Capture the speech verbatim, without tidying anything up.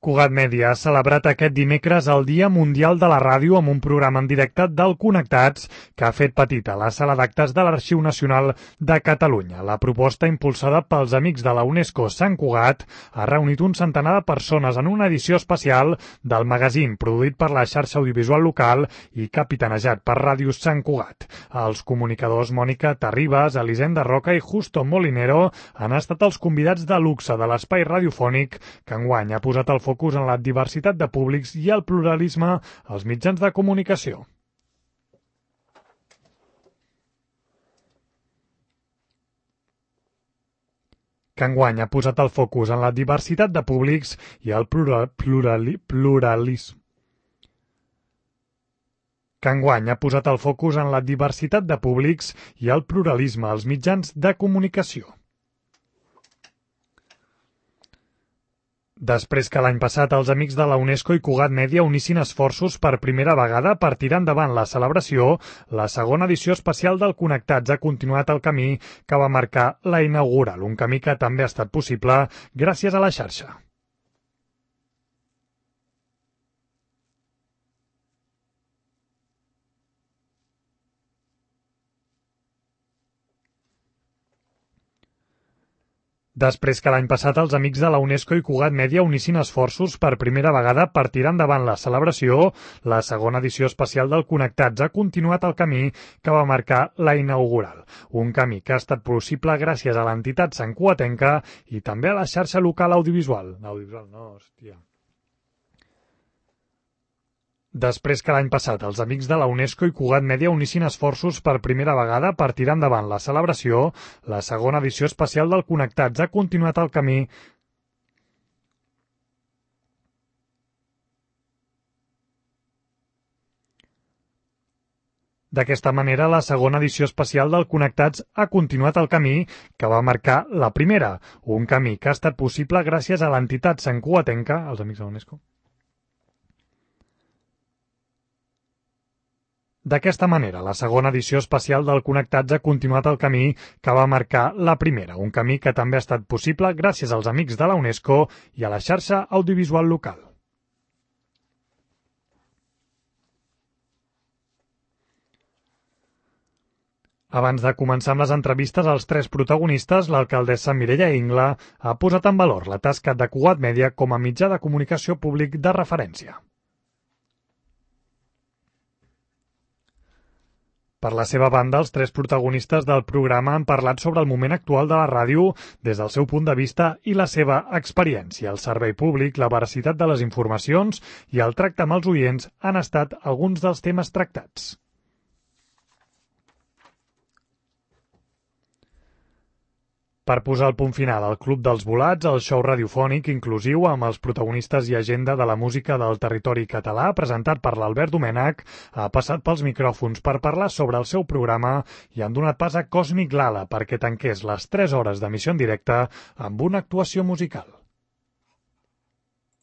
Cugat Mèdia ha celebrat aquest dimecres el Dia Mundial de la Ràdio amb un programa en directe del Connectats que ha fet petita la sala d'actes de l'Arxiu Nacional de Catalunya. La proposta, impulsada pels amics de la UNESCO Sant Cugat, ha reunit un centenar de persones en una edició especial del magazín produït per la xarxa audiovisual local i capitanejat per Ràdio Sant Cugat. Els comunicadors Mònica Terribas, Elisenda Roca i Justo Molinero han estat els convidats de luxe de l'espai radiofònic que enguany ha posat el focus focus en la diversitat de públics i el pluralisme als mitjans de comunicació. Que enguany ha posat el focus en la diversitat de públics i el plural, plurali, pluralisme. Que enguany ha posat el focus en la diversitat de públics i el pluralisme als mitjans de comunicació. Després que l'any passat els amics de la UNESCO i Cugat Mèdia unissin esforços per primera vegada per tirar endavant la celebració, la segona edició especial del Connectats ha continuat el camí que va marcar la inaugural, un camí que també ha estat possible gràcies a la xarxa. Després que l'any passat els amics de la UNESCO i Cugat Mèdia unissin esforços per primera vegada per tirar endavant la celebració, la segona edició especial del Connectats ha continuat el camí que va marcar la inaugural. Un camí que ha estat possible gràcies a l'entitat santcugatenca i també a la xarxa local audiovisual. Audiovisual, no, hòstia. Després que l'any passat els amics de la UNESCO i Cugat Mèdia unissin esforços per primera vegada per tirar endavant la celebració, la segona edició especial del Connectats ha continuat el camí D'aquesta manera, la segona edició especial del Connectats ha continuat el camí que va marcar la primera, un camí que ha estat possible gràcies a l'entitat santcugatenca, els amics de la UNESCO. D'aquesta manera, la segona edició especial del Connectats ha continuat el camí que va marcar la primera, un camí que també ha estat possible gràcies als amics de la UNESCO i a la xarxa audiovisual local. Abans de començar amb les entrevistes als tres protagonistes, l'alcaldessa Mireia Ingla ha posat en valor la tasca de Cugat Mèdia com a mitjà de comunicació públic de referència. Per la seva banda, els tres protagonistes del programa han parlat sobre el moment actual de la ràdio des del seu punt de vista i la seva experiència. El servei públic, la veracitat de les informacions i el tracte amb els oients han estat alguns dels temes tractats. Per posar el punt final al Club dels Volats, el show radiofònic inclusiu amb els protagonistes i agenda de la música del territori català, presentat per l'Albert Domènech, ha passat pels micròfons per parlar sobre el seu programa i han donat pas a Còsmic Lala perquè tanqués les tres hores d'emissió en directe amb una actuació musical.